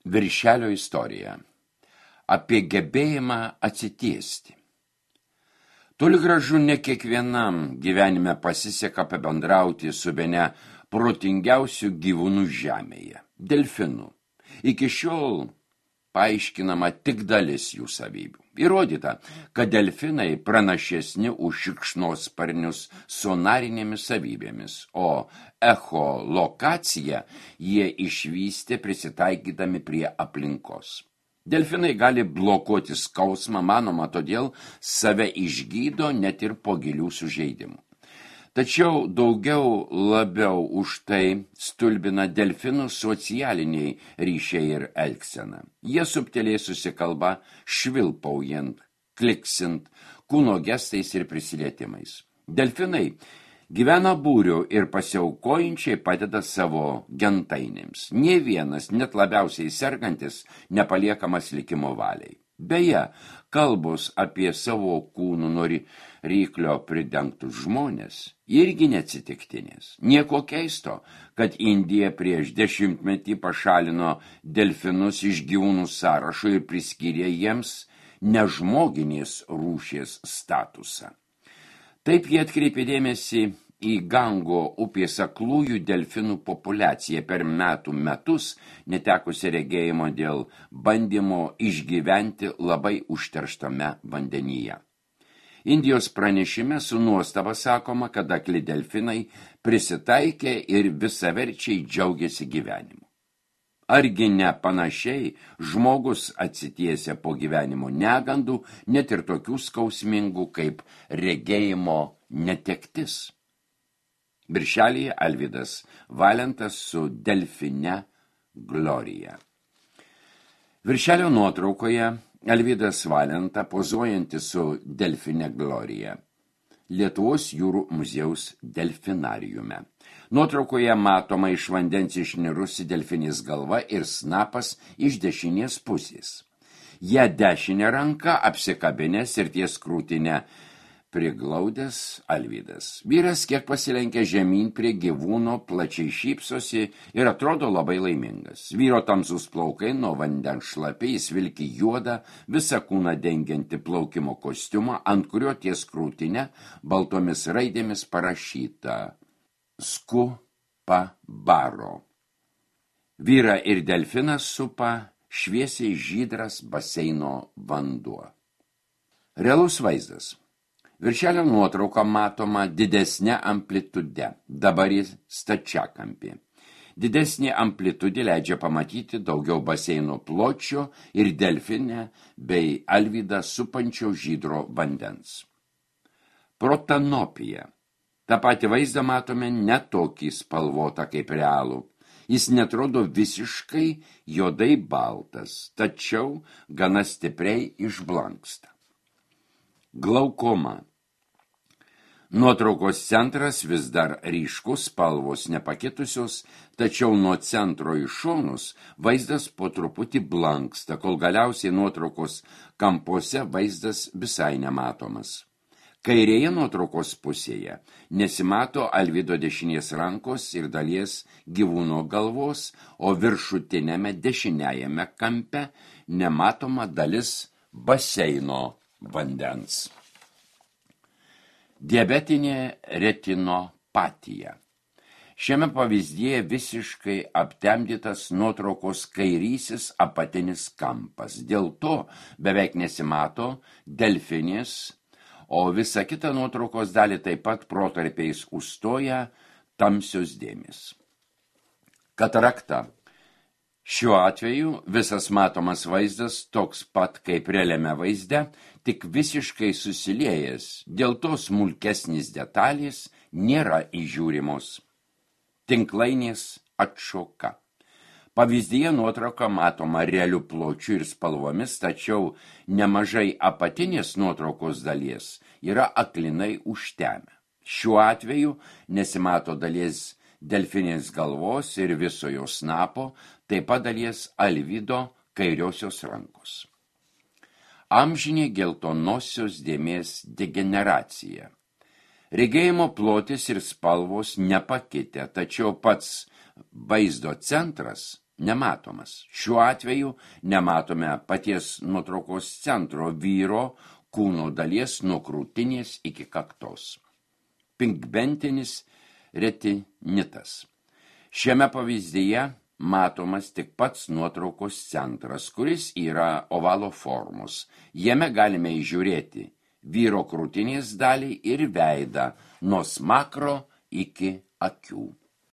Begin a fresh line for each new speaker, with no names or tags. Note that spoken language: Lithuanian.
Viršelio istorija. Apie gebėjimą atsitiesti. Toli gražu ne kiekvienam gyvenime pasiseka pabendrauti su bene protingiausių gyvūnų žemėje – delfinų. Iki šiol paaiškinama tik dalis jų savybių. Įrodyta, kad delfinai pranašesni už šikšnosparnius sonarinėmis savybėmis, o echolokaciją jie išvystė prisitaikydami prie aplinkos. Delfinai gali blokuoti skausmą, manoma, todėl save išgydo net ir po gilių sužeidimų. Tačiau labiau už tai stulbina delfinų socialiniai ryšiai ir elgsena. Jie subtiliai susikalba švilpaujant, kliksint, kūno gestais ir prisilietimais. Delfinai gyvena būriu ir pasiaukojančiai padeda savo gentainėms. Nė vienas, net labiausiai sergantis, nepaliekamas likimo valiai. Beje, kalbos apie savo kūnų nuo ryklio pridengtus žmonės irgi neatsitiktinės. Nieko keisto, kad Indija prieš 10 metų pašalino delfinus iš gyvūnų sąrašo ir priskyrė jiems nežmoginės rūšies statusą. Taip jie atkreipė dėmesį į Gango upės aklųjų delfinų populiaciją per metus netekusi regėjimo dėl bandymo išgyventi labai užterštame vandenyje. Indijos pranešime su nuostaba sakoma, kad akli delfinai prisitaikė ir visaverčiai džiaugiasi gyvenimu. Argi ne panašiai žmogus atsitiesia po gyvenimo negandų, net ir tokių skausmingų kaip regėjimo netektis. Birželyje Alvydas Valentas su delfine Glorija. Viršelio nuotraukoje Alvydas Valenta pozuojantis su delfine Glorija. Lietuvos jūrų muziejaus delfinariume. Nuotraukoje matoma iš vandens išnirusi delfinės galva ir snapas iš dešinės pusės. Ją dešinę ranką apsikabinęs ir ties krūtinę priglaudęs Alvydas. Vyras kiek pasilenkia žemyn prie gyvūno, plačiai šypsosi ir atrodo labai laimingas. Vyro tamsus plaukai nuo vandens šlapiai, jis vilki juodą, visą kūną dengianti plaukimo kostiumą, ant kurio ties krūtinę baltomis raidėmis parašyta Sku pa baro. Vyrą ir delfinas supa šviesiai žydras baseino vanduo. Realus vaizdas. Viršelio nuotrauka matoma didesnė amplitude, dabar jis stačiakampė. Didesnė amplitudė leidžia pamatyti daugiau baseino pločio ir delfinę bei Alvydą supančio žydro vandens. Protanopija. Ta pati vaizdą matome ne tokį spalvotą kaip realų. Jis netrodo visiškai juodai baltas, tačiau gana stipriai išblanksta. Glaukoma. Nuotraukos centras vis dar ryškus, spalvos nepakitusios, tačiau nuo centro į šonus vaizdas po truputį blanksta, kol galiausiai nuotraukos kampuose vaizdas visai nematomas. Kairėje nuotraukos pusėje nesimato Alvydo dešinės rankos ir dalies gyvūno galvos, o viršutinėme dešiniajame kampe nematoma dalis baseino vandens. Diabetinė retinopatija. Šiame pavyzdyje visiškai aptemdytas nuotraukos kairysis apatinis kampas. Dėl to beveik nesimato delfinės, o visa kita nuotraukos dalį taip pat protarpiais užstoja tamsios dėmės. Katarakta. Šiuo atveju visas matomas vaizdas toks pat kaip realiame vaizde, tik visiškai susiliejęs, dėl to smulkesnis detalės nėra įžiūrimos. Tinklainės atšoka. Pavyzdyje nuotrauka matoma realiu pločiu ir spalvomis, tačiau nemažai apatinės nuotraukos dalies yra aklinai užtemę. Šiuo atveju nesimato dalies delfinės galvos ir viso jo snapo, taip pat dalies Alvydo kairiosios rankos. Amžinė geltonosios dėmės degeneracija. Regėjimo plotis ir spalvos nepakitę, tačiau pats vaizdo centras nematomas. Šiuo atveju nematome paties nuotraukos centro vyro kūno dalies nuo krūtinės iki kaktos. Pinkbentinis retinitas. Šiame pavyzdyje matomas tik pats nuotraukos centras, kuris yra ovalo formos. Jame galime įžiūrėti vyro krūtinės dalį ir veidą nuo smakro iki akių.